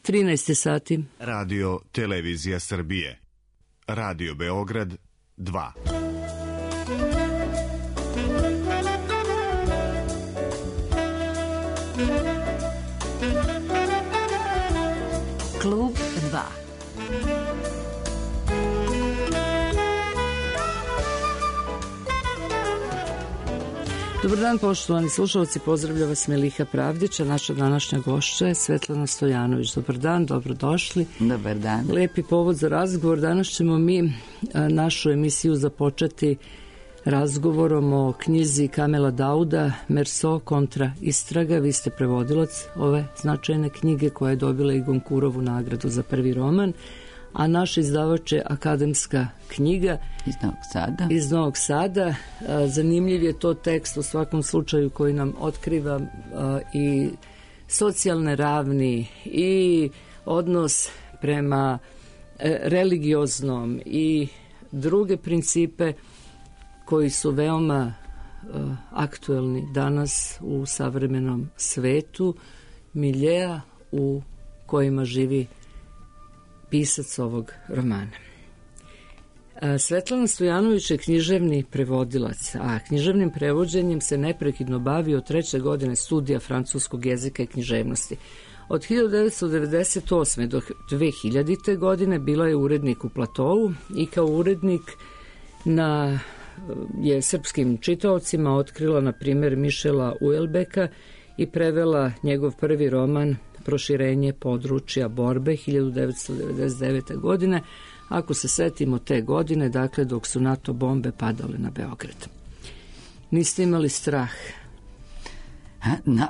13 sati. Radio Televizija Srbije. Radio Beograd 2. Klub 2. Dobar dan, poštovani slušalci, pozdravlja vas Meliha Pravdića, naša današnja gošća je Svetlana Stojanović. Dobar dan, dobrodošli. Dobar dan. Lepi povod za razgovor. Danas ćemo mi našu emisiju započeti razgovorom o knjizi Kamela Dauda Merso kontra istraga. Vi ste prevodilac ove značajne knjige koja je dobila i Gonkurovu nagradu za prvi roman, a naš izdavač je Akademska knjiga iz Novog Sada. Zanimljiv je to tekst u svakom slučaju koji nam otkriva i socijalne ravni i odnos prema religioznom i druge principe koji su veoma aktuelni danas u savremenom svetu, miljea u kojima živi pisac ovog romana. Svetlana Stojanović je književni prevodilac, a književnim prevođenjem se neprekidno bavi od 3. godine studija francuskog jezika i književnosti. Od 1998. do 2000. godine bila je urednik u Platovu i kao urednik je srpskim čitaocima otkrila, na primjer, Mišela Uelbeka i prevela njegov prvi roman Proširenje područja borbe 1999. godine, ako se setimo te godine, dakle dok su NATO bombe padale na Beograd. Niste imali strah?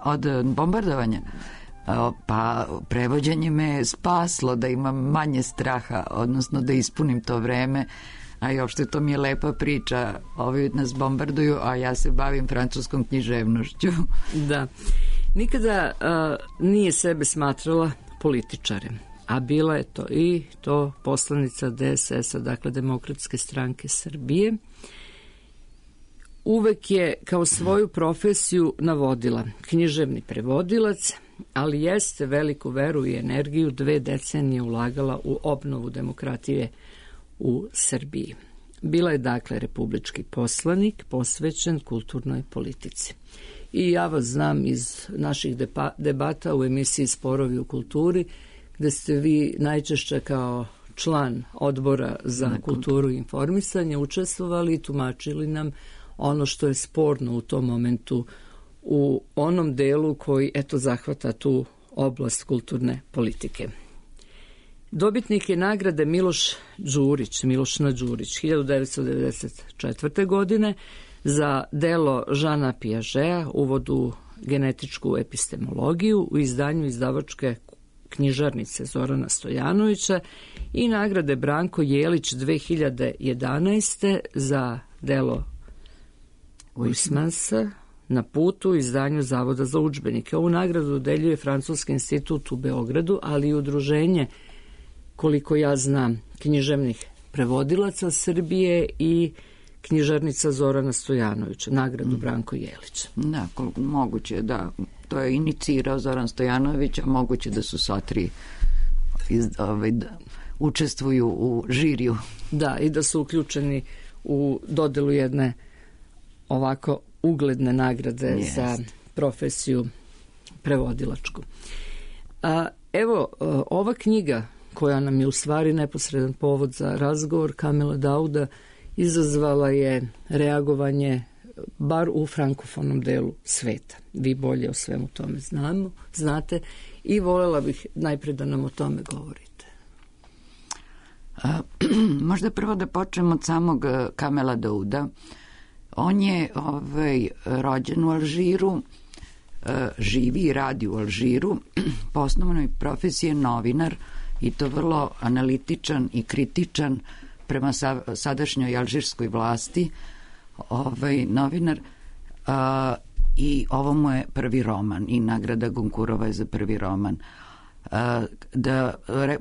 Od bombardovanja? Pa prevođenje me spaslo da imam manje straha, odnosno da ispunim to vreme, a i uopšte to mi je lepa priča. Ovi nas bombarduju, a ja se bavim francuskom književnošću. Da. Nikada nije sebe smatrala političarem, a bila je to poslanica DSS-a, dakle Demokratske stranke Srbije. Uvek je kao svoju profesiju navodila književni prevodilac, ali jeste veliku veru i energiju 2 decenije ulagala u obnovu demokratije u Srbiji. Bila je dakle republički poslanik posvećen kulturnoj politici. I ja vas znam iz naših debata u emisiji Sporovi u kulturi, gde ste vi najčešće kao član odbora za kulturu i informisanje učestvovali i tumačili nam ono što je sporno u tom momentu u onom delu koji zahvata tu oblast kulturne politike. Dobitnik je nagrade Milošna Đurić 1994. godine za delo Žana Piažea, uvod u genetičku epistemologiju u izdanju izdavačke knjižarnice Zorana Stojanovića i nagrade Branko Jelić 2011. za delo Huysmansa na putu u izdanju Zavoda za udžbenike. Ovu nagradu dodeljuje Francuski institut u Beogradu, ali i udruženje, koliko ja znam, književnih prevodilaca Srbije i knjižarnica Zorana Stojanovića, nagradu Branko Jelić. Da, moguće da to je inicirao Zoran Stojanović, a moguće da su sva 3 učestvuju u žiriju. Da, i da su uključeni u dodelu jedne ovako ugledne nagrade za profesiju prevodilačku. Evo, ova knjiga koja nam je u stvari neposredan povod za razgovor Kamela Dauda izazvala je reagovanje bar u frankofonom delu sveta. Vi bolje o svemu tome znate i voljela bih najpre da nam o tome govorite. Možda prvo da počnemo od samog Kamela Dauda. On je rođen u Alžiru, živi i radi u Alžiru, po osnovnoj profesiji je novinar i to vrlo analitičan i kritičan prema sadašnjoj alžirskoj vlasti, novinar, i ovo mu je prvi roman i nagrada Gonkurova je za prvi roman.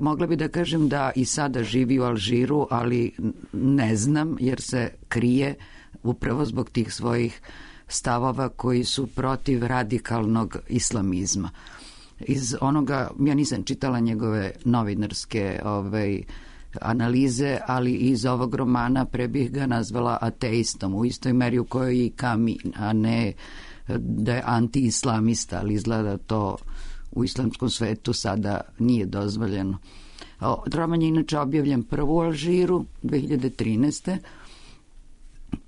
Mogla bi da kažem da i sada živi u Alžiru, ali ne znam jer se krije upravo zbog tih svojih stavova koji su protiv radikalnog islamizma. iz onoga, ja nisam čitala njegove novinarske analize, ali iz ovog romana pre bih ga nazvala ateistom, u istoj meri u kojoj i Camus, a ne da je anti-islamista, ali izgleda to u islamskom svetu sada nije dozvoljeno. Roman je inače objavljen prvo u Alžiru 2013.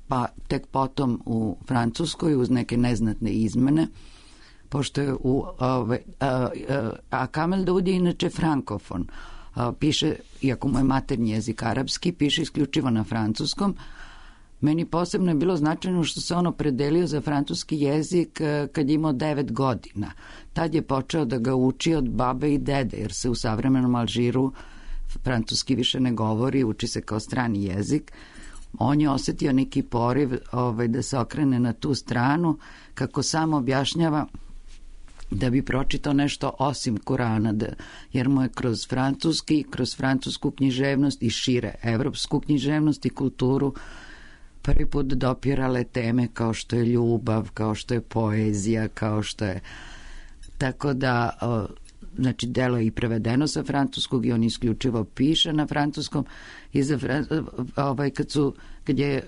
pa tek potom u Francuskoj uz neke neznatne izmene, pošto je a Kamel Daoud je inače frankofon. Piše, iako mu je maternji jezik arapski, piše isključivo na francuskom. Meni posebno je bilo značajno što se on opredelio za francuski jezik kad je imao 9 godina. Tad je počeo da ga uči od babe i dede, jer se u savremenom Alžiru francuski više ne govori, uči se kao strani jezik. On je osetio neki poriv da se okrene na tu stranu, kako sam objašnjava, da bi pročitao nešto osim Kurana, jer mu je kroz francusku književnost i šire evropsku književnost i kulturu prvi put dopirale teme kao što je ljubav, kao što je poezija, kao što je... Tako da, znači, delo je i prevedeno sa francuskog i on isključivo piše na francuskom. I kad je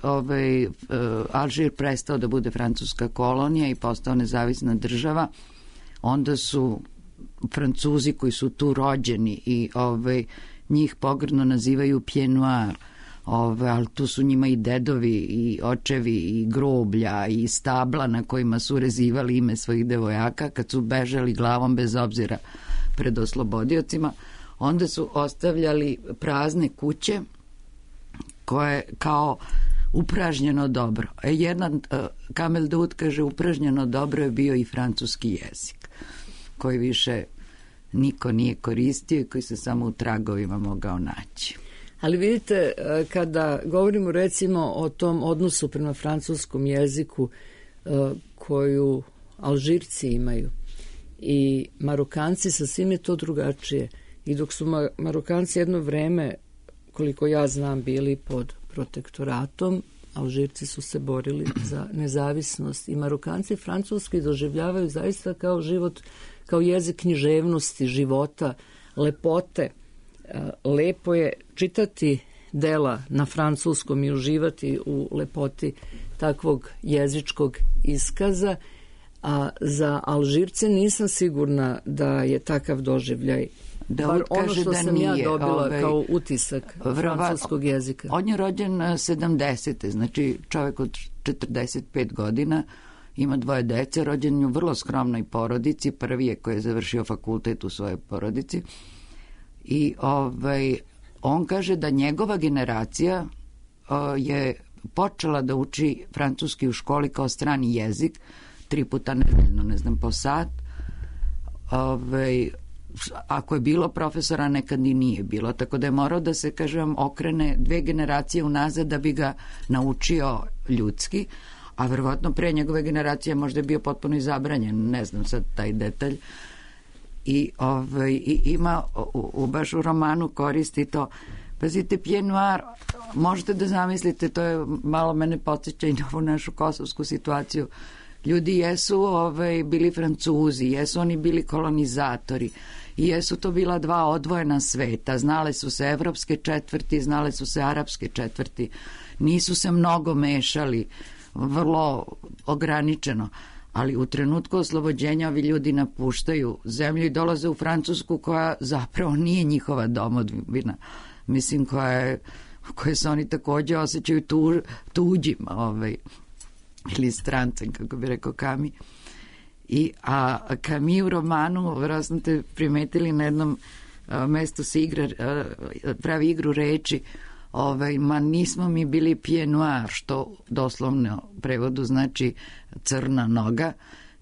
Alžir prestao da bude francuska kolonija i postao nezavisna država, onda su Francuzi koji su tu rođeni i njih pogrdno nazivaju pied noir, ali tu su njima i dedovi i očevi i groblja i stabla na kojima su rezivali ime svojih devojaka kad su bežali glavom bez obzira pred oslobodiocima. Onda su ostavljali prazne kuće koje kao upražnjeno dobro. Kamel Daoud kaže upražnjeno dobro je bio i francuski jezik, koji više niko nije koristio i koji se samo u tragovima mogao naći. Ali vidite, kada govorimo recimo o tom odnosu prema francuskom jeziku koju Alžirci imaju i Marokanci, sasvim je to drugačije. I dok su Marokanci jedno vreme, koliko ja znam, bili pod protektoratom, Alžirci su se borili za nezavisnost i Marokanci francuski doživljavaju zaista kao život, kao jezik književnosti, života, lepote. Lepo je čitati dela na francuskom i uživati u lepoti takvog jezičkog iskaza, a za Alžirce nisam sigurna da je takav doživljaj. Bar ono što sam ja dobila kao utisak francuskog jezika. On je rođen 70. Znači čovjek od 45 godina, ima 2 dece, rođen je u vrlo skromnoj porodici, prvi je koji je završio fakultet u svojoj porodici. I on kaže da njegova generacija je počela da uči francuski u školi kao strani jezik 3 puta nedeljno, ne znam, po sat. Ako je bilo profesora, nekad i nije bilo, tako da je morao da se, kažem, okrene 2 generacije unazad da bi ga naučio ljudski, a verovatno pre njegove generacije možda je bio potpuno i zabranjen, ne znam sad taj detalj. I ima baš u romanu koristi to. Pazite, pied noir, možete da zamislite, to je malo mene podsjeća i na ovu našu kosovsku situaciju. Ljudi jesu bili Francuzi, jesu oni bili kolonizatori i jesu to bila 2 odvojena sveta. Znale su se evropske četvrti, znale su se arapske četvrti. Nisu se mnogo mešali, vrlo ograničeno. Ali u trenutku oslobođenja ovi ljudi napuštaju zemlju i dolaze u Francusku koja zapravo nije njihova domovina. Mislim, koje se oni također osjećaju tuđima, ili strancem, kako bi rekao Camus. A Camus u romanu, vjerojatno ste primetili, na jednom mestu se pravi igru reči, ma nismo mi bili pied noir, što doslovno u prevodu znači crna noga,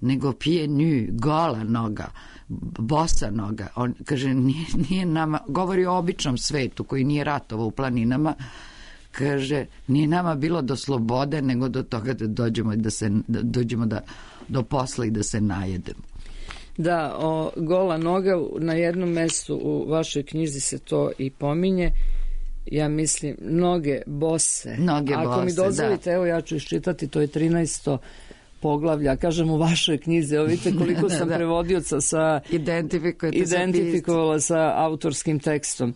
nego pied nu, gola noga, bosa noga. On kaže, nije nama, govori o običnom svetu koji nije ratovao u planinama, kaže, nije nama bilo do slobode, nego do toga da dođemo do posla i da se najedemo. Da, gola noga, na jednom mestu u vašoj knjizi se to i pominje. Ja mislim, noge bose. Ako mi dozvolite, evo ja ću iščitati, to je 13. poglavlja, kažem u vašoj knjizi, vidite koliko sam prevodioca sa identifikovala sa autorskim tekstom.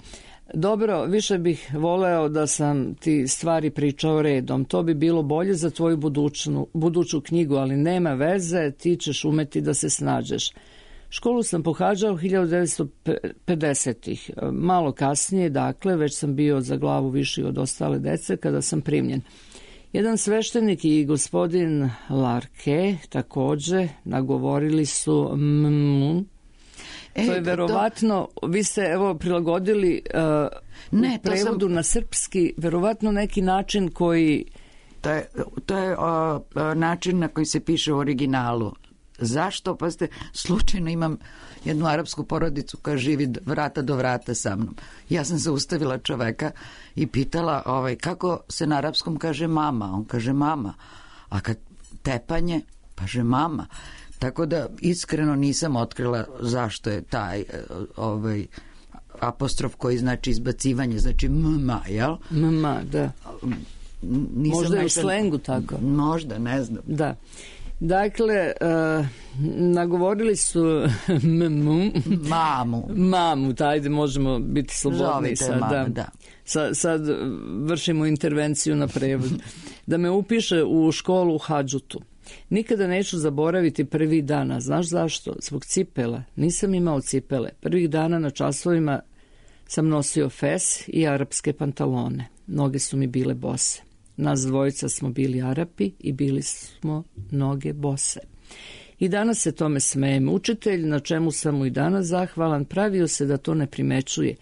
Dobro, više bih voleo da sam ti stvari pričao redom. To bi bilo bolje za tvoju buduću knjigu, ali nema veze, ti ćeš umeti da se snađeš. Školu sam pohađao 1950-ih. Malo kasnije, dakle, već sam bio za glavu viši od ostale dece kada sam primljen. Jedan sveštenik i gospodin Larke takođe nagovorili su to je verovatno, vi ste evo prilagodili u prevodu na srpski, verovatno neki način koji... To je način na koji se piše u originalu. Zašto? Pa slučajno imam jednu arapsku porodicu koja živi vrata do vrata sa mnom. Ja sam zaustavila čoveka i pitala kako se na arapskom kaže mama. On kaže mama. A kad tepanje, kaže mama. Tako da iskreno nisam otkrila zašto je taj apostrof koji znači izbacivanje, znači mma, jel? Mma, da. Možda je u slengu tako. Možda, ne znam. Da. Dakle, nagovorili su mamu, ajde možemo biti slobodni sad. Sad vršimo intervenciju na prevod. Da me upiše u školu u Hadžutu. Nikada neću zaboraviti prvih dana. Znaš zašto? Zbog cipela. Nisam imao cipele. Prvih dana na časovima sam nosio fes i arapske pantalone. Noge su mi bile bose. Nas dvojica smo bili Arapi i bili smo noge bose. I danas se tome smejem. Učitelj, na čemu sam mu i danas zahvalan, pravio se da to ne primećuje.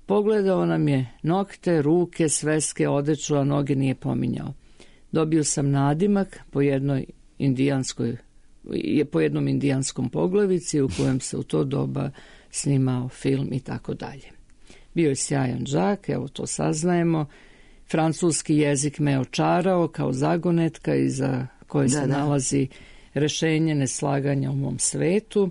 Pogledao nam je nokte, ruke, sveske, odeću, a noge nije pominjao. Dobio sam nadimak po jednom indijanskom poglavici u kojem se u to doba snimao film i tako dalje. Bio je sjajan đak, evo to saznajemo. Francuski jezik me očarao kao zagonetka iza koje se nalazi rešenje neslaganja u mom svetu.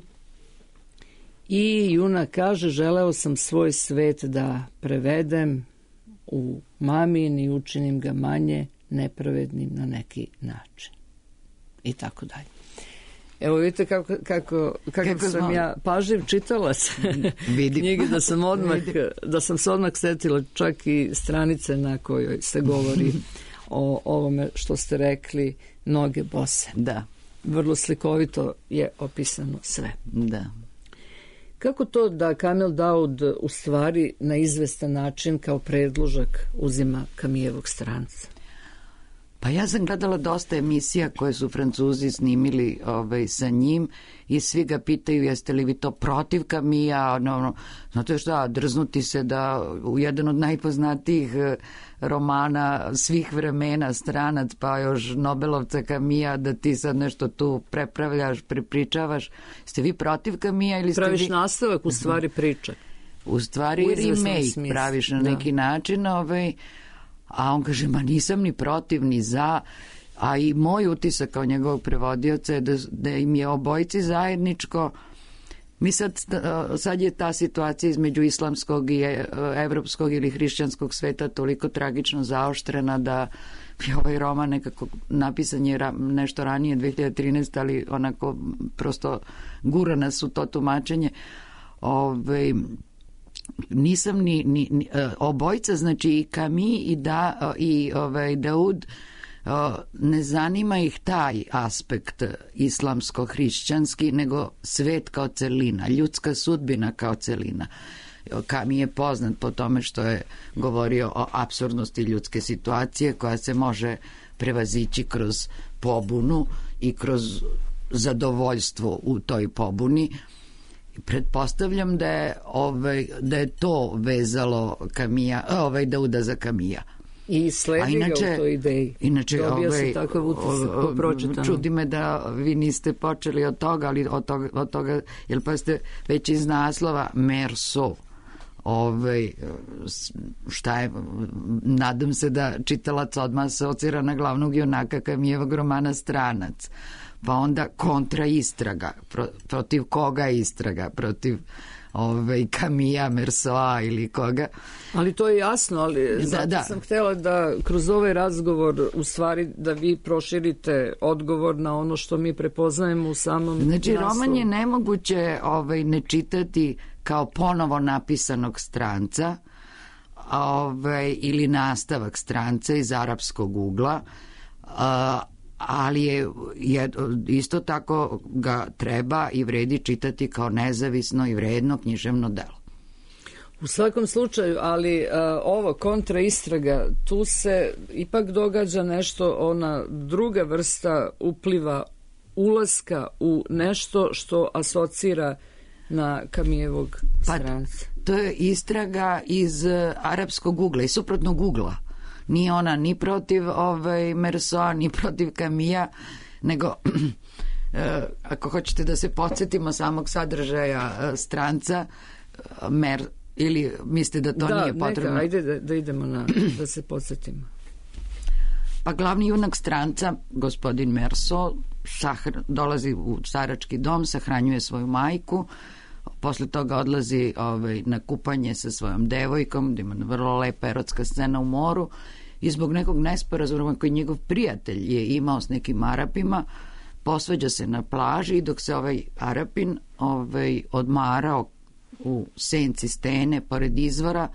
I junak kaže, želeo sam svoj svet da prevedem u mamin i učinim ga manje nepravednim na neki način. I tako dalje. Evo vidite kako sam ja pažljiv čitalac knjige, da sam se odmah setila čak i stranice na kojoj se govori o ovome što ste rekli, noge bose. Da. Vrlo slikovito je opisano sve. Da. Kako to da Kamil Daud u stvari na izvestan način kao predložak uzima Camillovog stranca? Pa ja sam gledala dosta emisija koje su Francuzi snimili sa njim i svi ga pitaju jeste li vi to protiv Camilla, znate šta, drznuti se da u jedan od najpoznatijih romana svih vremena, Stranac, pa još Nobelovca Camilla, da ti sad nešto tu prepravljaš, prepričavaš. Ste vi protiv Camilla ili ste praviš nastavak u stvari priča? U stvari remake praviš na neki način, a on kaže, ma nisam ni protiv, ni za, a i moj utisak kao njegovog prevodioca je da im je obojici zajedničko. Mi sad je ta situacija između islamskog i evropskog ili hrišćanskog sveta toliko tragično zaoštrena da je ovaj roman nekako napisan je nešto ranije, 2013, ali onako prosto gura nas u to tumačenje. Nisam ni obojica, znači i Camille i Daud, ne zanima ih taj aspekt islamsko-hrišćanski, nego svet kao celina, ljudska sudbina kao celina. Camille je poznat po tome što je govorio o apsurdnosti ljudske situacije koja se može prevazići kroz pobunu i kroz zadovoljstvo u toj pobuni. Pretpostavljam da je to vezalo Dauda za Camilla. I sledi ga u toj ideji. Inače, dobija se takav utisak po pročitanom. Čudi me da vi niste počeli od toga, ali od toga, jer pa ste već iz naslova Merso. Šta je, nadam se da čitalac odmah asocira na glavnog junaka Camillovog romana Stranac. Pa onda kontra istraga. Protiv koga istraga? Protiv Camilla, Mersoa ili koga. Ali to je jasno, ali zato sam htjela da kroz ovaj razgovor u stvari da vi proširite odgovor na ono što mi prepoznajemo u samom Znači, naslovu. roman je nemoguće ne čitati kao ponovo napisanog Stranca ili nastavak Stranca iz arapskog ugla, ali je isto tako ga treba i vredi čitati kao nezavisno i vredno književno delo. U svakom slučaju, ali ovo kontraistraga, tu se ipak događa nešto, ona druga vrsta upliva, ulaska u nešto što asocira na Camillovog Stranca. To je istraga iz arapskog ugla i suprotnog ugla. Nije ona ni protiv Mersoa, ni protiv Camilla, nego ako hoćete da se podsjetimo samog sadržaja Stranca, ili mislite da to nije potrebno? Da, ajde da idemo da se podsjetimo. Pa glavni junak Stranca, gospodin Merso, dolazi u starački dom, sahranjuje svoju majku, posle toga odlazi na kupanje sa svojom devojkom, gde ima vrlo lepa erotska scena u moru, i zbog nekog nesporazuma koji njegov prijatelj je imao s nekim Arapima, posvađa se na plaži i dok se ovaj Arapin odmarao u senci stene pored izvora,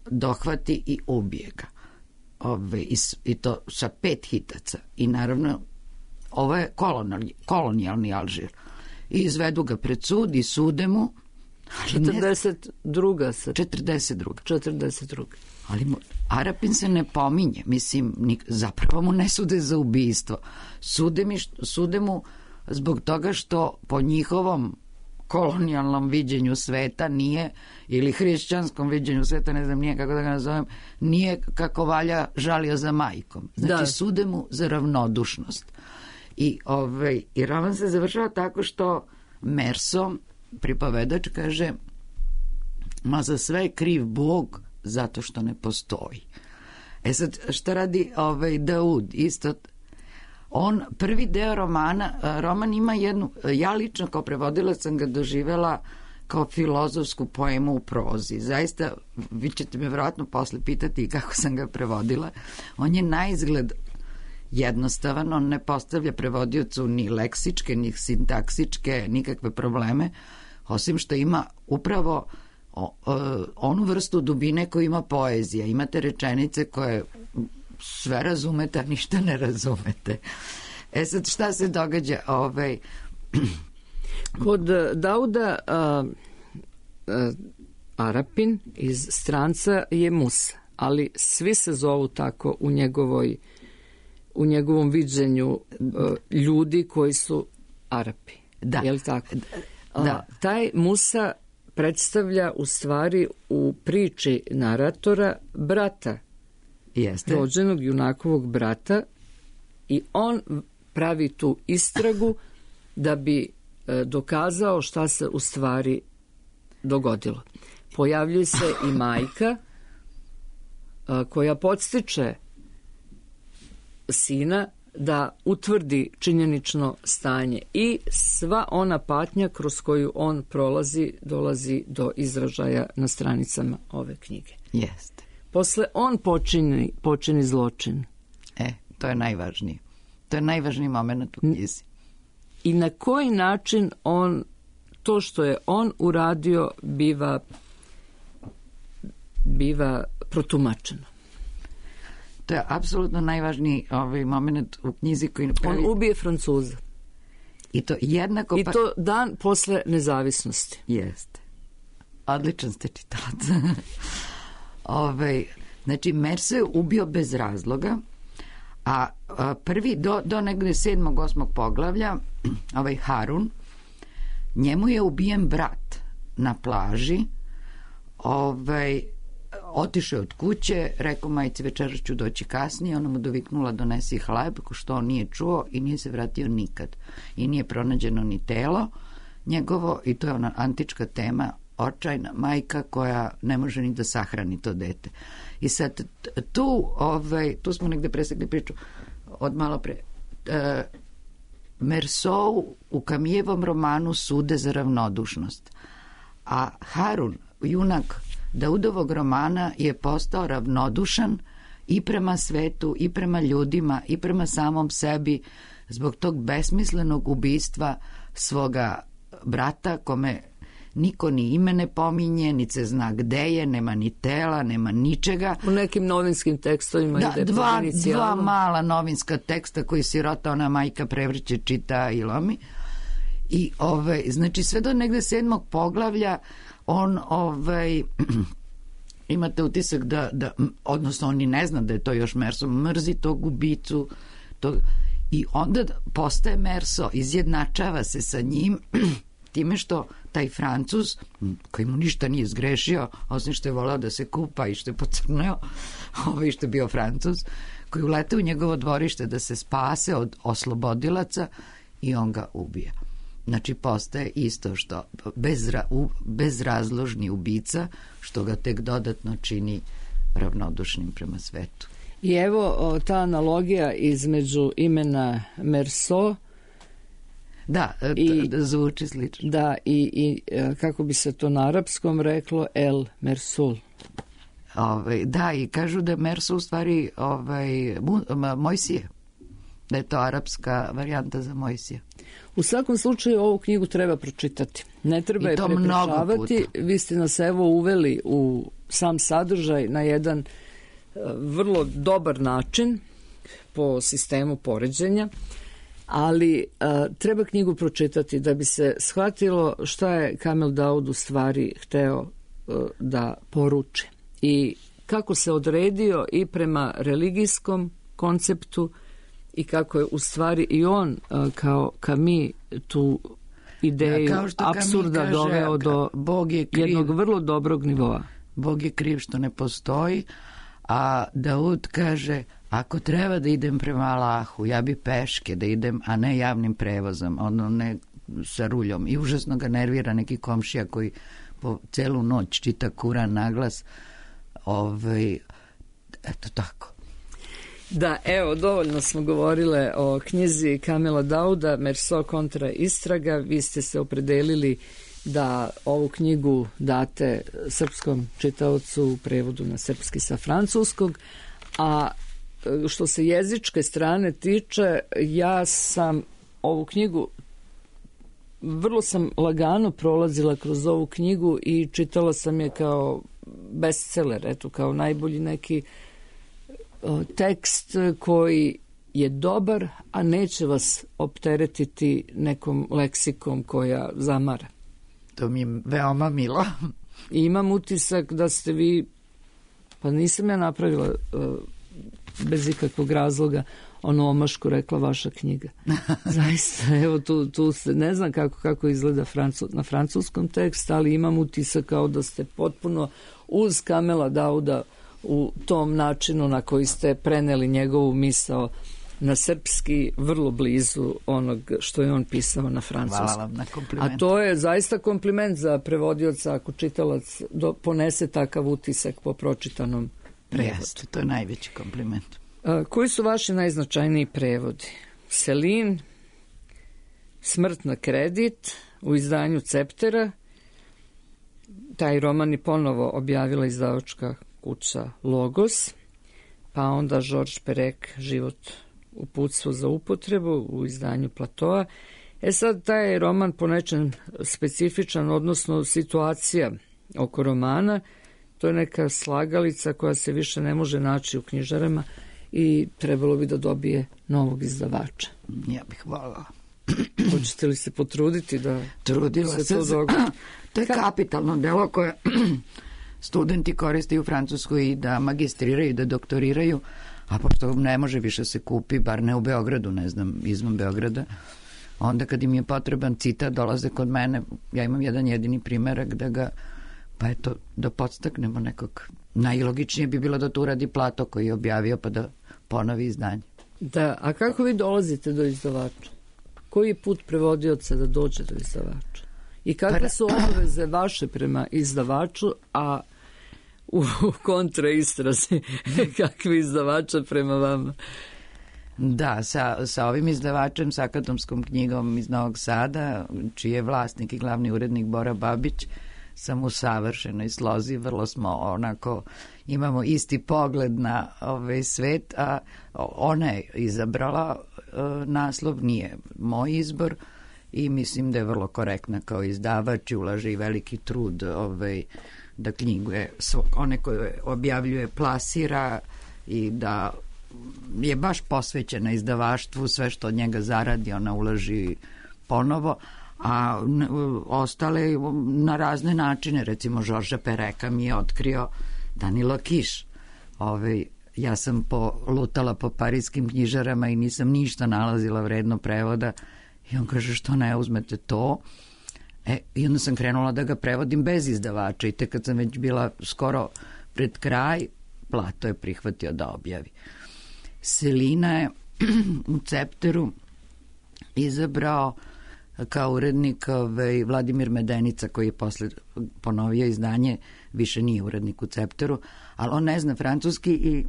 dohvati i ubije ga. I to sa 5 hitaca. I naravno, ovo je kolonijalni Alžir. I izvedu ga pred sud i sude mu. 42. Ali Arapin se ne pominje. Mislim, zapravo mu ne sude za ubistvo. Sude mu zbog toga što po njihovom kolonijalnom viđenju sveta nije, ili hrišćanskom viđenju sveta, ne znam nije kako da ga nazovem, nije kako valja žalio za majkom. Znači, sude mu za ravnodušnost. I roman se završava tako što Merso, pripovedač, kaže: ma za sve je kriv Bog zato što ne postoji. Sad, šta radi Daud? Isto, on prvi deo roman ima jednu, ja lično kao prevodilac sam ga doživela kao filozofsku poemu u prozi. Zaista, vi ćete me vjerojatno posle pitati kako sam ga prevodila. On je na izgled jednostavan, on ne postavlja prevodiocu ni leksičke, ni sintaksičke, nikakve probleme, osim što ima upravo onu vrstu dubine koju ima poezija. Imate rečenice koje sve razumete, a ništa ne razumete. Sad, šta se događa? Kod Dauda Arapin iz Stranca je Musa, ali svi se zovu tako u njegovom viđenju ljudi koji su Arapi. Da. Je li tako? Da. Taj Musa predstavlja u stvari u priči naratora brata. Jeste. Rođenog junakovog brata, i on pravi tu istragu da bi dokazao šta se u stvari dogodilo. Pojavljuje se i majka koja podstiče sina da utvrdi činjenično stanje, i sva ona patnja kroz koju on prolazi dolazi do izražaja na stranicama ove knjige. Jeste. Posle on počini zločin. To je najvažnije. To je najvažniji moment u knjizi. I na koji način to što je on uradio biva protumačeno. To je apsolutno najvažniji moment u knjizi koji pravi. On ubije Francuza. I to jednako... I to dan posle nezavisnosti. Jeste. Odličan ste čitalac. Znači, Merso je ubio bez razloga, a prvi do negde 7. 8. poglavlja, Harun, njemu je ubijen brat na plaži, otišao od kuće, rekao majci večeras ću doći kasnije, ona mu doviknula donesi hleb, što on nije čuo i nije se vratio nikad. I nije pronađeno ni telo njegovo, i to je ona antička tema, očajna majka koja ne može ni da sahrani to dete. I sad tu smo negde presekli priču od malo pre. Merso u Camillevom romanu sude za ravnodušnost, A Harun, junak Daudovog romana, je postao ravnodušan i prema svetu, i prema ljudima, i prema samom sebi, zbog tog besmislenog ubistva svoga brata, kome niko ni ime ne pominje, ni se zna gde je, nema ni tela, nema ničega. U nekim novinskim tekstovima ide dva mala novinska teksta koji sirota ona majka prevrće, čita i lomi. I znači sve do negde 7. poglavlja on imate utisak da odnosno on i ne zna da je to još Merso, mrzi tog ubicu i onda postaje Merso, izjednačava se sa njim time što taj Francuz, koji mu ništa nije zgrešio, osim što je volao da se kupa i što je pocrneo, što je bio Francuz, koji ulete u njegovo dvorište da se spase od oslobodilaca i on ga ubija. Znači postaje isto što bezrazložni ubica, što ga tek dodatno čini ravnodušnim prema svetu. I evo ta analogija između imena Merso, da zvuči slično. Da, i kako bi se to na arapskom reklo, El Mersul. Da, i kažu da je Merso u stvari Mojsije, da je to arapska varijanta za Mojsija. U svakom slučaju ovu knjigu treba pročitati. Ne treba je prepričavati. Vi ste nas evo uveli u sam sadržaj na jedan vrlo dobar način po sistemu poređenja, ali treba knjigu pročitati da bi se shvatilo šta je Kamel Daud u stvari hteo da poruči i kako se odredio i prema religijskom konceptu i kako je u stvari i on kao Camus tu ideju apsurda doveo do jednog vrlo dobrog nivoa. Bog je kriv što ne postoji, a Daud kaže, ako treba da idem prema Allahu, ja bi peške da idem, a ne javnim prevozom, ne sa ruljom. I užasno ga nervira neki komšija koji po celu noć čita Kuran naglas. Eto tako. Da, evo, dovoljno smo govorile o knjizi Kamela Dauda, Merso kontra istraga. Vi ste se opredelili da ovu knjigu date srpskom čitaocu u prevodu na srpski sa francuskog, a što se jezičke strane tiče, ja sam ovu knjigu vrlo sam lagano prolazila kroz ovu knjigu i čitala sam je kao bestseller, eto, kao najbolji neki tekst koji je dobar, a neće vas opteretiti nekom leksikom koja zamara. To mi je veoma milo. I imam utisak da ste vi, pa nisam ja napravila bez ikakvog razloga ono omašku rekla vaša knjiga. Zaista, evo tu se, ne znam kako izgleda na francuskom tekst, ali imam utisak kao da ste potpuno uz Kamela Dauda u tom načinu na koji ste preneli njegovu misao na srpski, vrlo blizu onog što je on pisao na francuskom. Hvala vam na komplimentu. A to je zaista kompliment za prevodioca ako čitalac ponese takav utisak po pročitanom prevodu. Jeste, to je najveći kompliment. Koji su vaši najznačajniji prevodi? Selin, Smrt na kredit u izdanju Ceptera. Taj roman je ponovo objavila izdavačka kuća Logos, pa onda Georges Perec, Život uputstvo za upotrebu u izdanju Platoa. Sad taj roman po nečem specifičan, odnosno situacija oko romana, to je neka slagalica koja se više ne može naći u knjižarama i trebalo bi da dobije novog izdavača. Ja bih voljela. Hoćete li se potruditi da Trudila se to dogodi? To je kapitalno delo koje studenti koriste u Francuskoj i da magistriraju, da doktoriraju, a pošto ne može više se kupi, bar ne u Beogradu, ne znam, izvan Beograda, onda kad im je potreban citat, dolaze kod mene, ja imam jedan jedini primerak da ga, pa eto, da podstaknemo nekog. Najlogičnije bi bilo da to uradi Plato koji je objavio, pa da ponovi izdanje. Da, a kako vi dolazite do izdavača? Koji je put prevodioca da dođe do izdavača? I kakve su obaveze vaše prema izdavaču, a u kontraistrazi kakvi izdavača prema vama? Da, sa ovim izdavačem, sa Akademskom knjigom iz Novog Sada, čiji je vlasnik i glavni urednik Bora Babić, sam u savršenoj slozi, vrlo smo onako, imamo isti pogled na ovaj svet, a ona je izabrala naslov, nije moj izbor i mislim da je vrlo korektna kao izdavač i ulaže i veliki trud da knjigu one koje objavljuje plasira i da je baš posvećena izdavaštvu, sve što od njega zaradi ona ulaži ponovo, a ostale na razne načine, recimo Žorža Pereka mi je otkrio Danila Kiš. Ja sam lutala po parijskim knjižarama i nisam ništa nalazila vredno prevoda i on kaže što ne uzmete to. I onda sam krenula da ga prevodim bez izdavača i tek kad sam već bila skoro pred kraj, Plato je prihvatio da objavi. Selina je u Cepteru izabrao kao urednik Vladimir Medenica, koji je posle ponovio izdanje, više nije urednik u Cepteru, ali on ne zna francuski i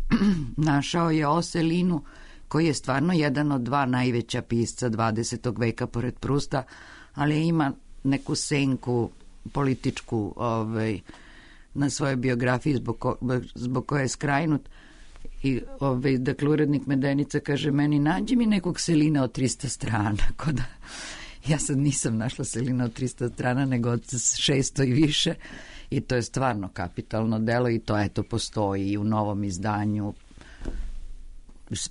našao je o Selinu, koji je stvarno jedan od dva najveća pisca 20. veka pored Prusta, ali ima neku senku političku na svojoj biografiji zbog koje je skrajnut. I dakle, urednik Medenica kaže meni, nađi mi nekog Selina od 300 strana. Ja sad nisam našla Selina od 300 strana, nego od 600 i više. I to je stvarno kapitalno delo i to eto postoji i u novom izdanju.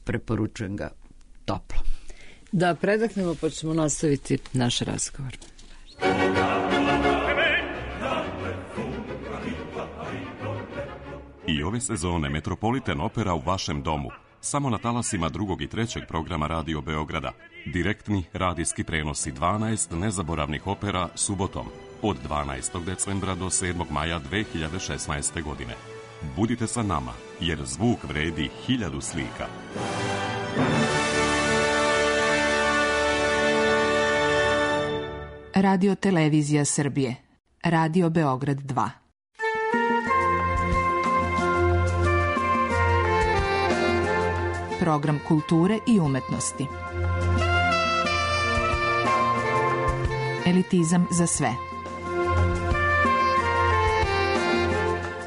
Preporučujem ga toplo. Da predahnemo pa ćemo nastaviti naš razgovor. I ove sezone Metropolitan Opera u vašem domu. Samo na talasima 2. i 3. programa Radio Beograda. Direktni radijski prenosi 12 nezaboravnih opera subotom od 12. decembra do 7. maja 2016. godine. Budite sa nama, jer zvuk vredi 1000 slika. Radio Televizija Srbije. Radio Beograd 2. Program kulture i umetnosti. Elitizam za sve.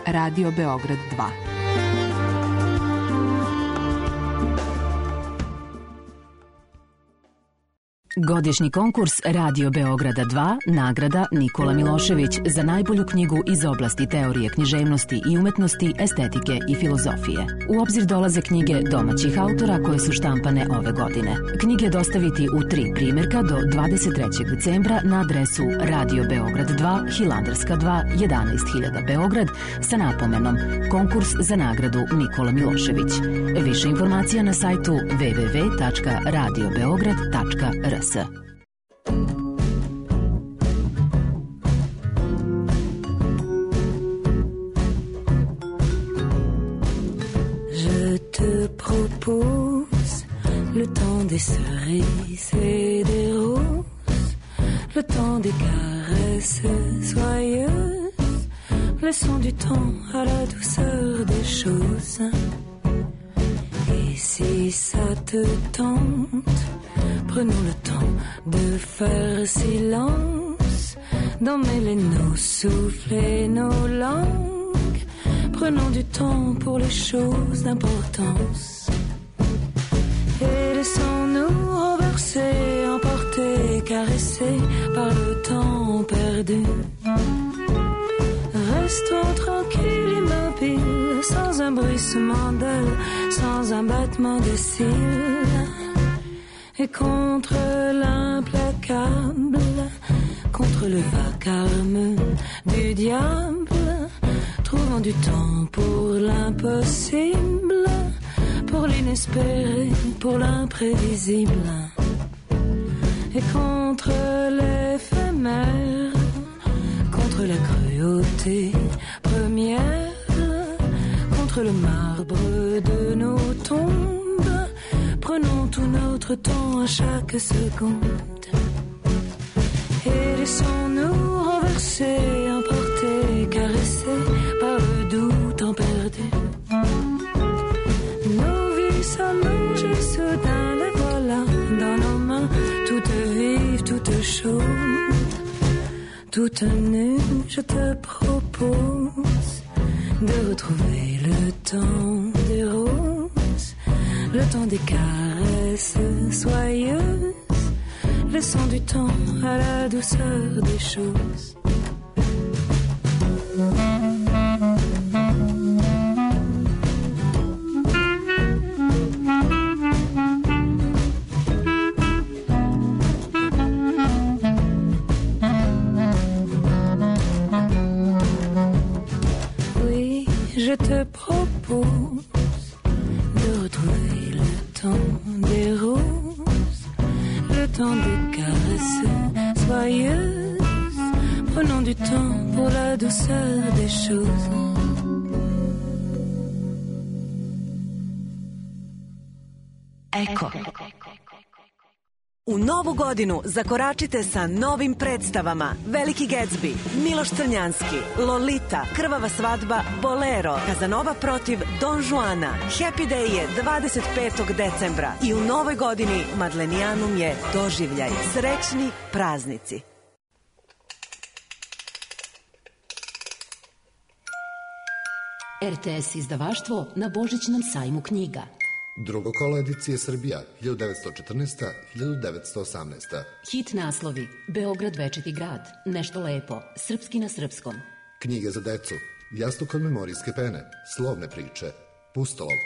Radio Beograd 2. Godišnji konkurs Radio Beograda 2, nagrada Nikola Milošević za najbolju knjigu iz oblasti teorije književnosti i umetnosti, estetike i filozofije. U obzir dolaze knjige domaćih autora koje su štampane ove godine. Knjige dostaviti u 3 primjerka do 23. decembra na adresu Radio Beograd 2, Hilandarska 2, 11.000 Beograd sa napomenom Konkurs za nagradu Nikola Milošević. Više informacija na sajtu www.radiobeograd.rs. Je te propose le temps des cerises et des roses, le temps des caresses joyeuses, laissons du temps à la douceur des choses. Et si ça te tente, prenons le temps de faire silence, d'emmêler nos souffles et nos langues. Prenons du temps pour les choses d'importance. Et laissons-nous renverser, emporter, caresser par le temps perdu. Restons tranquilles, immobiles, sans un bruissement d'ailes, sans un battement de cils. Et contre l'implacable, contre le vacarme du diable, trouvons du temps pour l'impossible, pour l'inespéré, pour l'imprévisible. Et contre l'éphémère, contre la cruauté première, contre le marbre de nos tombes, prenons tout notre temps à chaque seconde. Et laissons-nous renverser, emporter, caresser par le doux temps perdu. Nos vies s'allongent soudain, les voilà dans nos mains, toutes vives, toutes chaudes. toute nue, je te propose de retrouver le temps des roses, le temps des caresses soyeuses, laissant du temps à la douceur des choses. Oui, je te propose de retrouver le temps des roses, le temps des caresses soyeuses, prenons du temps pour la douceur des choses. Eko. U novu godinu zakoračite sa novim predstavama Veliki Gatsby, Miloš Crnjanski, Lolita, Krvava svadba, Bolero, Kazanova protiv Don Juana. Happy Day je 25. decembra i u novoj godini Madlenijanum je doživljaj. Srećni praznici. RTS izdavaštvo na Božićnom sajmu knjiga. Drugo kolo edicije Srbija, 1914. 1918. Hit naslovi: Beograd večiti grad, Nešto lepo, Srpski na srpskom. Knjige za decu, Jastuk od memorijske pene, Slovne priče, Pustolov.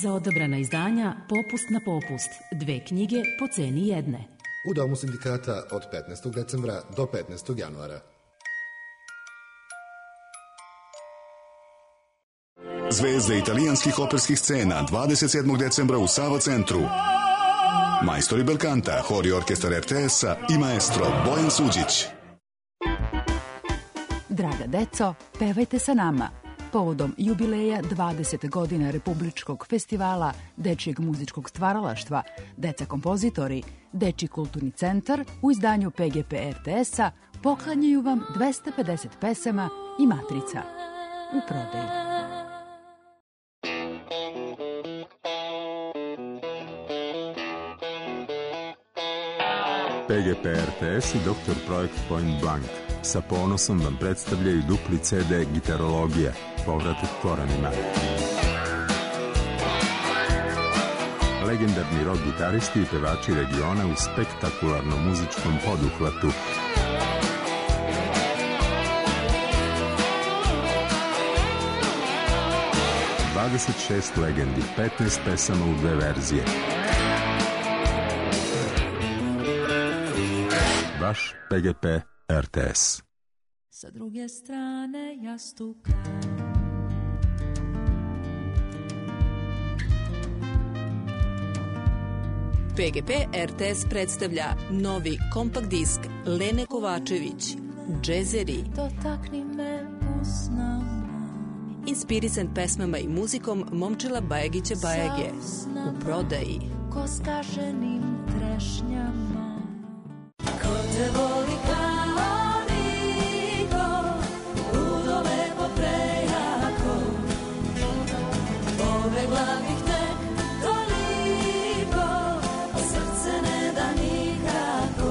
Za odabrana izdanja Popust na popust, 2 knjige po ceni jedne. U Domu sindikata od 15. decembra do 15. januara. Zvezde italijanskih operskih scena 27. decembra u Sava centru. Majstori belkanta, hor i orkestar RTS-a i maestro Bojan Suđić. Draga deco, pevajte sa nama. Povodom jubileja 20 godina Republičkog festivala Dečijeg muzičkog stvaralaštva, Deca kompozitori, Dečiji kulturni centar u izdanju PGP RTS-a poklanjaju vam 250 pesama i matrica u prodaju. PGP RTS i Dr. Projekt Point Blank sa ponosom vam predstavljaju dupli CD Gitarologija, povratak korenima. Legendarni rock gitaristi i pevači regiona u spektakularnom muzičkom poduhvatu. ...26 legendi, 15 pesama u 2 verzije. Vaš PGP RTS. Sa druge strane jastuka PGP RTS predstavlja novi kompakt disk Lene Kovačević, Džezeri. Dotakni me usnama. Inspirisan pesmama i muzikom Momčila Bajagića Bajage. U prodaji. Ko skaženim trešnjama. Ko te voli kao niko, ludo lepo prejako, pobegla bih tek toliko, a srce ne da nikako.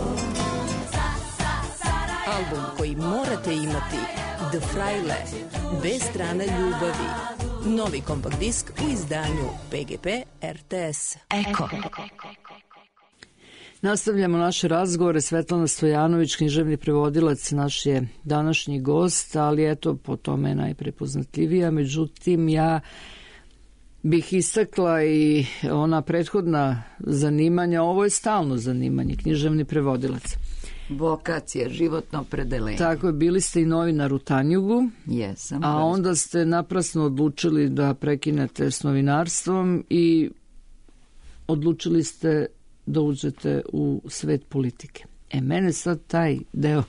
Album koji morate imati, The Fraile, bez strana ljubavi. Novi kompakt disk u izdanju PGP RTS. Eko. Nastavljamo naše razgovore. Svetlana Stojanović, književni prevodilac, naš je današnji gost, ali eto, po tome je najprepoznatljivija. Međutim, ja bih istakla i ona prethodna zanimanja. Ovo je stalno zanimanje, književni prevodilac. Vokacija, životno opredelenje. Tako je, bili ste i novinar u Tanjugu, jesam, a onda ste naprasno odlučili da prekinete s novinarstvom i odlučili ste da uđete u svet politike. Mene sad taj deo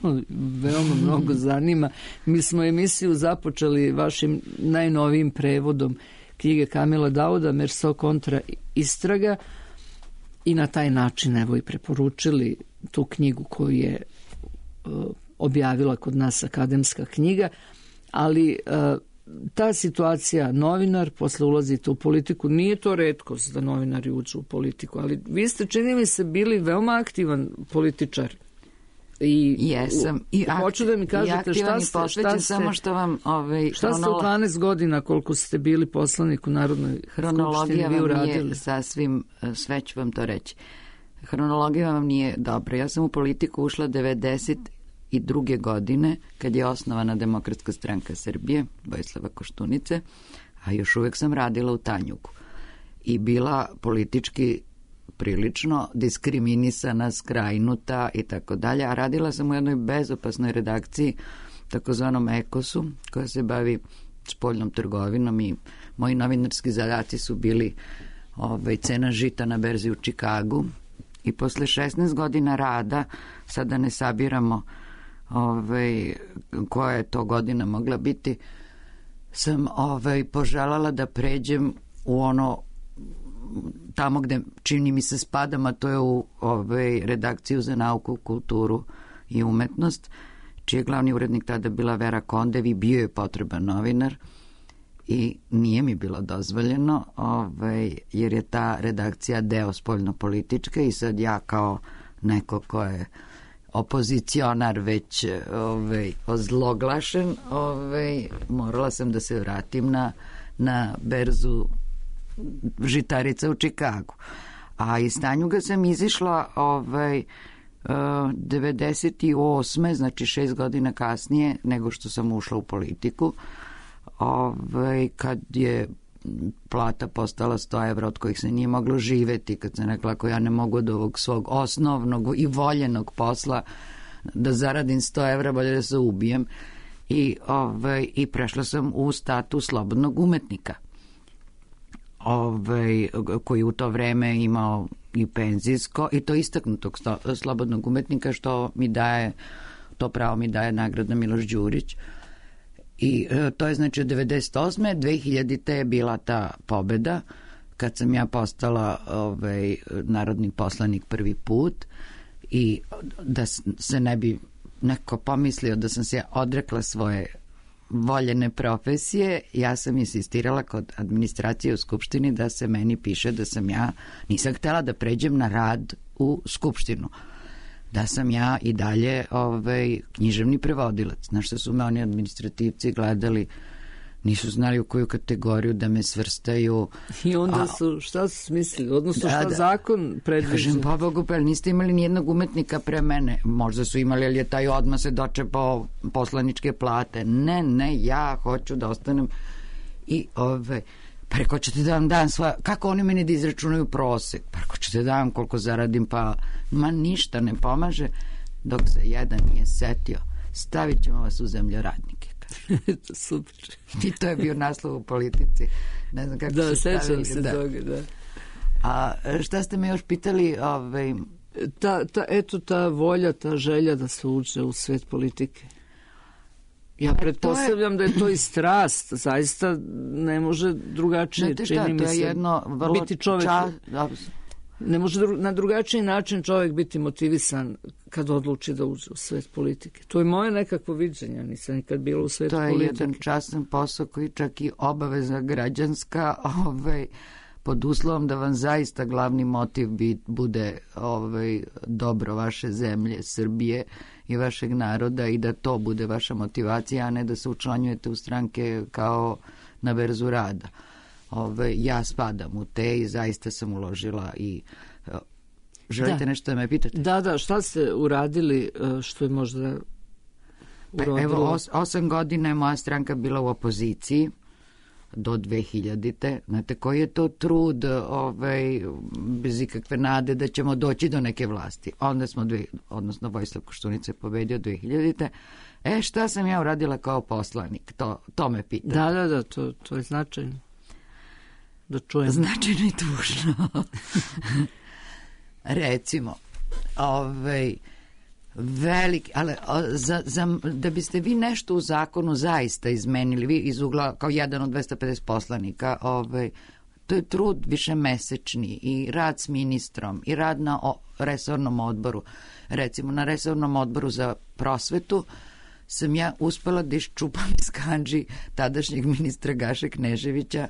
veoma mnogo zanima. Mi smo emisiju započeli vašim najnovijim prevodom knjige Kamila Dauda, Merso kontra istraga, i na taj način evo i preporučili tu knjigu koju je objavila kod nas Akademska knjiga, ali ta situacija, novinar, posle ulazite u politiku, nije to retkost da novinari uđu u politiku, ali vi ste, čini mi se, bili veoma aktivan političar I jesam. I hoću da mi kažete šta ste samo što vam šta ste u 12 godina koliko ste bili poslanik u Narodnoj hronologija skupštini vam nije sasvim, sve ću vam to reći. Hronologija vam nije dobra. Ja sam u politiku ušla 92. godine kad je osnovana Demokratska stranka Srbije, Vojislava Koštunice, a još uvek sam radila u Tanjugu i bila politički prilično diskriminisana, skrajnuta i tako dalje, a radila sam u jednoj bezopasnoj redakciji, takozvanom Ekosu, koja se bavi spoljnom trgovinom i moji novinarski zadaci su bili cena žita na berzi u Čikagu i posle 16 godina rada, sada ne sabiramo koja je to godina mogla biti, sam poželala da pređem u ono tamo gde čini mi se spadam, a to je u redakciju za nauku, kulturu i umetnost, čiji je glavni urednik tada bila Vera Kondev i bio je potreban novinar i nije mi bilo dozvoljeno jer je ta redakcija deo spoljnopolitičke i sad ja kao neko ko je opozicionar već ozloglašen, morala sam da se vratim na berzu žitarica u Čikagu. A iz Tanjuga sam izišla 98. znači 6 godina kasnije nego što sam ušla u politiku, kad je plata postala 100 evra od kojih se nije moglo živeti, kad sam rekla ako ja ne mogu od ovog svog osnovnog i voljenog posla da zaradim 100 evra, bolje da se ubijem, i prešla sam u status slobodnog umetnika, koji u to vreme imao i penzijsko i to istaknutog slobodnog umetnika, što mi daje, to pravo mi daje nagrada Miloš Đurić. I to je znači od 98. 2000. je bila ta pobeda kad sam ja postala narodni poslanik prvi put i da se ne bi neko pomislio da sam se odrekla svoje voljene profesije, ja sam insistirala kod administracije u Skupštini da se meni piše da sam ja, nisam htela da pređem na rad u Skupštinu, da sam ja i dalje književni prevodilac. Znaš što su me oni administrativci gledali, nisu znali u koju kategoriju da me svrstaju. I onda su, šta su smislili, odnosno šta zakon predviđa? Kažem, pa Bogu, pa niste imali nijednog umetnika pre mene. Možda su imali, ali je taj odmah se dočepao poslaničke plate. Ne, ja hoću da ostanem i preko ćete da vam dam svoja, kako oni meni da izračunaju prosek, preko ćete da vam koliko zaradim, pa ma ništa ne pomaže, dok se jedan nije setio, stavit ćemo vas u zemljoradnike. Super. I to je bio naslov u Politici. Ne znam kako se stavili. Da, sećam se toga, da. A šta ste me još pitali? Ta volja, ta želja da se uđe u svet politike. Ja pretpostavljam da je to i strast, zaista ne može drugačije, čini mi se, biti čovjek. Ne može na drugačiji način čovjek biti motivisan kad odluči da uđe u svet politike. To je moje nekakvo viđenje, nisam nikad bila u svetu politike. To je jedan častan posao koji čak i obaveza građanska, pod uslovom da vam zaista glavni motiv bude dobro vaše zemlje, Srbije i vašeg naroda i da to bude vaša motivacija, a ne da se učlanjujete u stranke kao na berzu rada. Ja spadam u te i zaista sam uložila i želite nešto da me pitate? Da, šta ste uradili što je možda urodilo? Evo, 8 godina je moja stranka bila u opoziciji do 2000. Znate, koji je to trud bez ikakve nade da ćemo doći do neke vlasti. Onda smo, odnosno Vojislav Koštunica je pobedio 2000. Šta sam ja uradila kao poslanik? To me pitate. Da, to je značajno. Da čujem. Značajno i tužno. Recimo, veliki, ali da biste vi nešto u zakonu zaista izmenili, vi iz ugla kao jedan od 250 poslanika, to je trud višemesečni i rad s ministrom i rad na resornom odboru. Recimo, na resornom odboru za prosvetu sam ja uspela da iščupam iz kandži tadašnjeg ministra Gaše Kneževića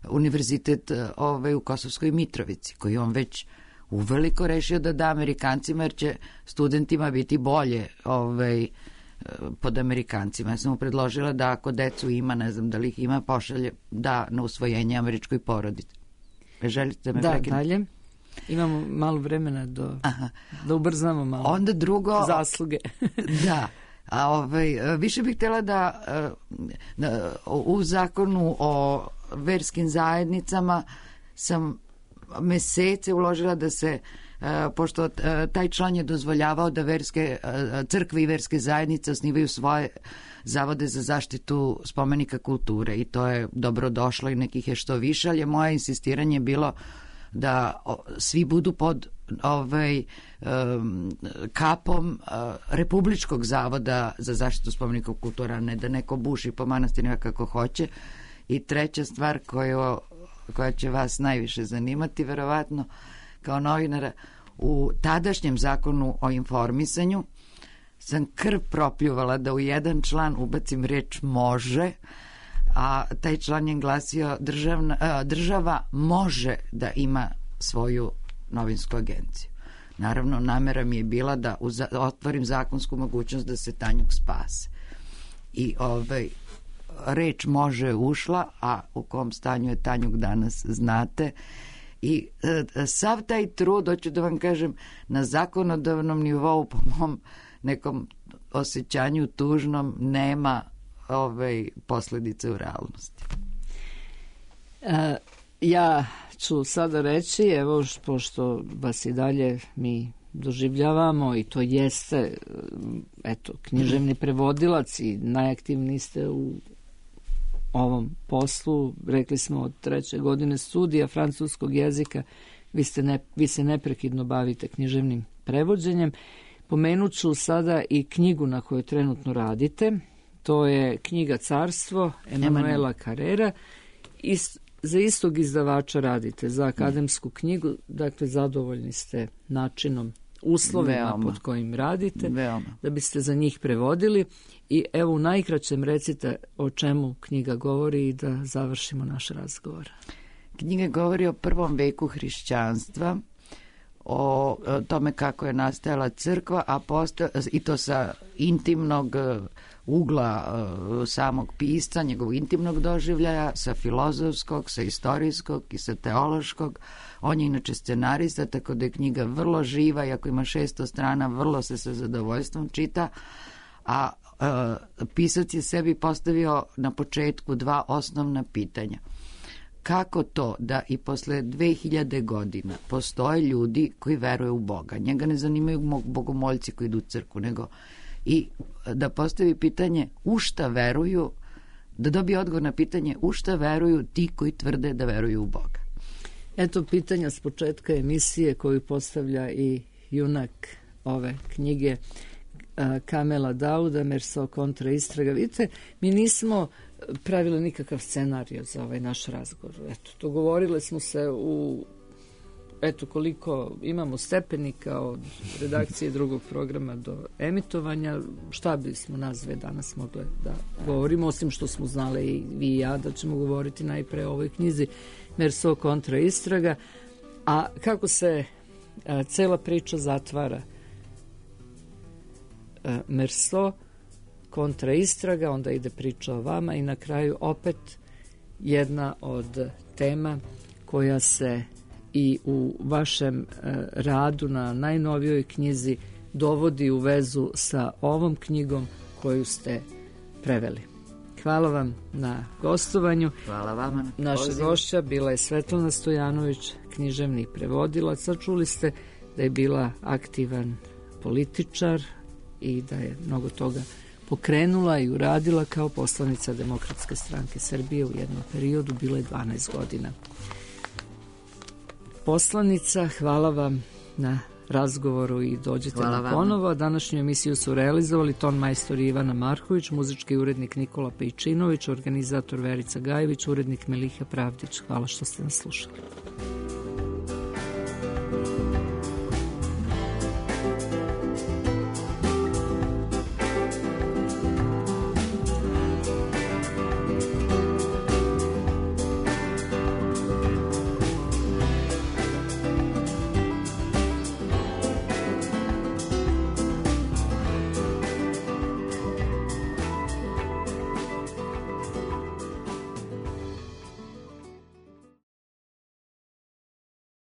univerzitet u Kosovskoj Mitrovici, koji on već uveliko rešio da da Amerikancima, jer će studentima biti bolje pod Amerikancima. Ja sam mu predložila da ako decu ima, ne znam da li ih ima, pošalje da na usvojenje američkoj porodici. Želite me prekinuti? Da, dalje. Imamo malo vremena da ubrzamo malo. Onda drugo... Zasluge. Da. A više bih htjela da u zakonu o verskim zajednicama sam mesece uložila da se, pošto taj član je dozvoljavao da crkve i verske zajednice osnivaju svoje zavode za zaštitu spomenika kulture i to je dobro došlo i nekih je što više, ali je moje insistiranje bilo da svi budu pod kapom Republičkog zavoda za zaštitu spomenika kultura, a ne da neko buši po manastirima kako hoće. I treća stvar koja će vas najviše zanimati, verovatno, kao novinara, u tadašnjem zakonu o informisanju sam krv propljuvala da u jedan član ubacim reč može, a taj član je glasio država može da ima svoju novinsku agenciju. Naravno, namera mi je bila da otvorim zakonsku mogućnost da se Tanjug spase. I reč može ušla, a u kom stanju je Tanjug danas znate. I sav taj trud, hoću da vam kažem, na zakonodavnom nivou, po mom nekom osjećanju tužnom, nema posledice u realnosti. Ja ću sada reći, evo, pošto vas i dalje mi doživljavamo i to jeste, eto, književni prevodilac i najaktivniji ste u ovom poslu, rekli smo od 3. godine studija francuskog jezika, vi se neprekidno bavite književnim prevođenjem. Pomenut ću sada i knjigu na kojoj trenutno radite. To je knjiga Carstvo Emanuela Carrera. Za istog izdavača radite, za akademsku knjigu, dakle zadovoljni ste načinom, uslovima pod kojim radite, da biste za njih prevodili. I evo u najkraćem recite o čemu knjiga govori i da završimo naš razgovor. Knjiga govori o 1. veku hrišćanstva, o tome kako je nastajala crkva, i to sa intimnog ugla samog pisca, njegovog intimnog doživljaja, sa filozofskog, sa istorijskog i sa teološkog. On je inače scenarista, tako da je knjiga vrlo živa, iako ima 600 strana, vrlo se sa zadovoljstvom čita, a pisac je sebi postavio na početku 2 osnovna pitanja. Kako to da i posle 2000 godina postoje ljudi koji veruju u Boga? Njega ne zanimaju bogomoljci koji idu u crkvu, nego i da postavi pitanje u šta veruju, da dobije odgovor na pitanje u šta veruju ti koji tvrde da veruju u Boga. Eto pitanja s početka emisije koju postavlja i junak ove knjige, Kamela Dauda, Merso kontra istraga. Vidite, mi nismo pravili nikakav scenarij za ovaj naš razgovor. Eto, dogovorili smo se koliko imamo stepenika od redakcije drugog programa do emitovanja, šta bismo nazve danas mogli da govorimo, osim što smo znali i vi i ja da ćemo govoriti najpre o ovoj knjizi Merso kontra istraga, a kako se cela priča zatvara. Merso kontra istraga, onda ide priča o vama i na kraju opet jedna od tema koja se i u vašem radu na najnovijoj knjizi dovodi u vezu sa ovom knjigom koju ste preveli. Hvala vam na gostovanju. Hvala vama. Naša gošća bila je Svetlana Stojanović, književni prevodilac. Čuli ste da je bila aktivan političar i da je mnogo toga pokrenula i uradila kao poslanica Demokratske stranke Srbije u jednom periodu, bilo je 12 godina. Poslanica, hvala vam na razgovoru i dođete nam ponovo. Današnju emisiju su realizovali ton majstor Ivana Marković, muzički urednik Nikola Pejčinović, organizator Verica Gajević, urednik Meliha Pravdić. Hvala što ste nas slušali.